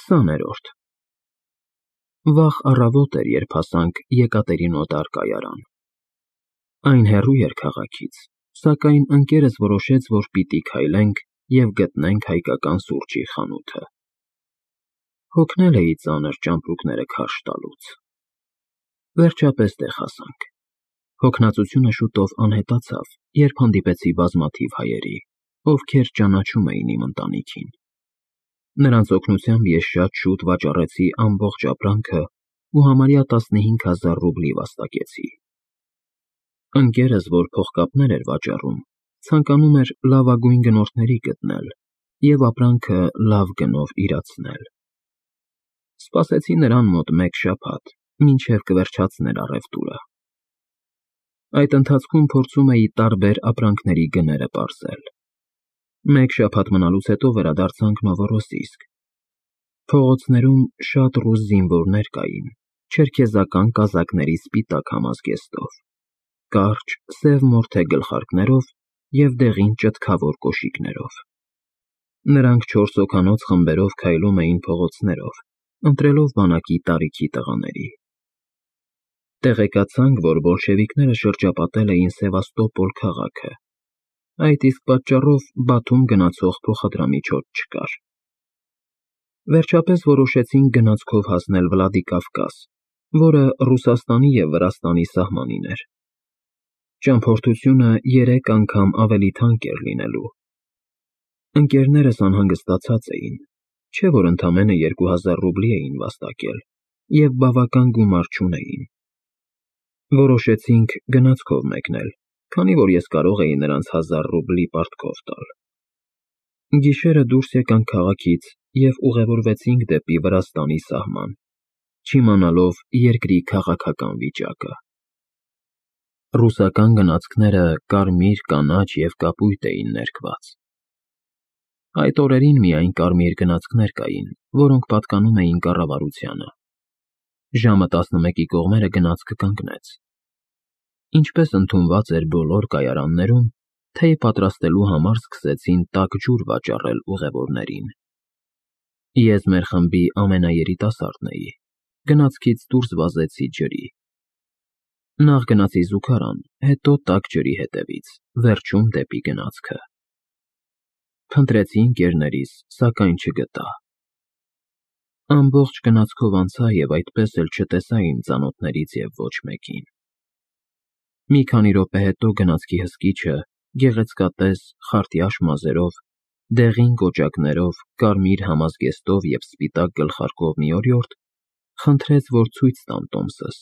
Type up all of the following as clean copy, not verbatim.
20-րդ Վաղ առավոտ էր, երբ հասանք Եկատերինոդար կայարան։ Այն հեռու էր քաղաքից, սակայն ընկերս որոշեց, որ պիտի քայլենք և գտնենք հայկական սուրճի խանութը։ Հոգնել էի ծանր ճամպրուկները քարշ տալուց։ Վերջապես տեղ հասանք։ Հոգնածությունը շուտով անհետացավ, երբ հանդիպեցի բազմաթիվ հայերի, ովքեր ճանաչում էին իմ ընտանիքին։ Նրանց օգնությամբ ես շատ շուտ վաճառեցի ամբողջ ապրանքը ու համարյա 15,000 ռուբլի վաստակեցի։ Ընկերս, որ փողկապներ էր վաճառում, ցանկանում էր լավագույն գնորդների գտնել և ապրանքը լավ գնով իրացնել։ Սպասեցի նրան մոտ մեկ շաբաթ, մինչև կվերջացներ առևտուրը։ Այդ ընթացքում փորձում էի տարբեր ապրանքների գները պարզել։ Մեկ շաբաթ մնալուց հետո վերադարձանք Նովորոսիսկ։ Փողոցներում շատ ռուս զինվորներ կային, չերքեզական կազակների սպիտակ համազգեստով, կարճ, սև մորթե գլխարկներով և դեղին ճտկավոր կոշիկներով։ Նրանք 4 հոգանոց խմբերով քայլում էին փողոցներով, ընտրելով բանակի տարիքի տղաների։ Տեղեկացանք, որ բոլշևիկները շրջապատել էին Սևաստոպոլ քաղաքը, այդ իսկ պատճառով Բաթում գնացող փոխադրամիջոց չկար։ Վերջապես որոշեցինք գնացքով հասնել Վլադիկավկազ, որը Ռուսաստանի և Վրաստանի սահմանին էր։ Ճամփորդությունը 3 անգամ ավելի թանկ էր լինելու։ Ընկերներս անհանգստացած էին, չէ՞ որ ընդամենը 2000 ռուբլի էին վաստակել և բավական գումար չունեին։ Որոշեցինք գնացքով մեկնել, քանի որ ես կարող էի նրանց 1000 ռուբլի պարտքով տալ։ Գիշերը դուրս եկանք քաղաքից և ուղևորվեցինք դեպի Վրաստանի սահման, չիմանալով երկրի քաղաքական վիճակը։ Ռուսական գնացքները կարմիր, կանաչ և կապույտ էին ներկված։ Այդ օրերին միայն կարմիր գնացքներ կային, որոնք պատկանում էին կառավարությանը։ Ժամը 11-ի կողմերը գնացքը կանգնեց։ Ինչպես ընդունված էր բոլոր կայարաններում, թեյ պատրաստելու համար սկսեցին տաք ջուր վաճառել ուղևորներին։ Ես մեր խմբի ամենաերիտասարդն էի, գնացքից դուրս վազեցի ջրի։ Նախ գնացի զուգարան, հետո տաք ջրի հետևից, վերջում դեպի գնացքը։ Փնտրեցի ընկերներիս, սակայն չգտա։ Ամբողջ գնացքով անցա և այդպես էլ չտեսա իմ ծանոթներից և ոչ մեկին։ Մի քանի րոպե հետո գնացքի հսկիչը, գեղեցկատես, խարտյաշ մազերով, դեղին կոճակներով, կարմիր համազգեստով և սպիտակ գլխարկով մի օրիորդ, խնդրեց, որ ցույց տամ տոմսս։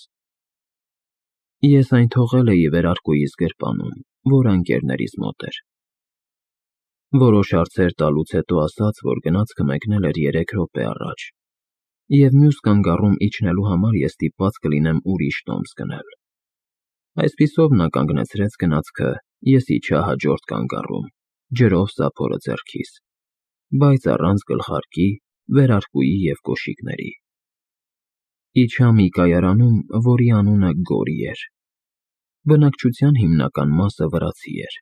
Ես այն թողել էի վերարկուիս գրպանում, որը ընկերներիս մոտ էր։ Որոշ հարցեր տալուց հետո ասաց, որ գնացքը մեկնել էր 3 րոպե առաջ, և մյուս կանգառում իջնելու համար ես ստիպված կլինեմ ուրիշ տոմս գնել։ Այսպիսով նա կանգնեցրեց գնացքը, ես իջա հաջորդ կանգառում, ջրով սափորը ձեռքիս, բայց առանց գլխարկի, վերարկուի և կոշիկների։ Իջա մի կայարանում, որի անունը Գորի էր։ Բնակչության հիմնական մասը վրացի էր։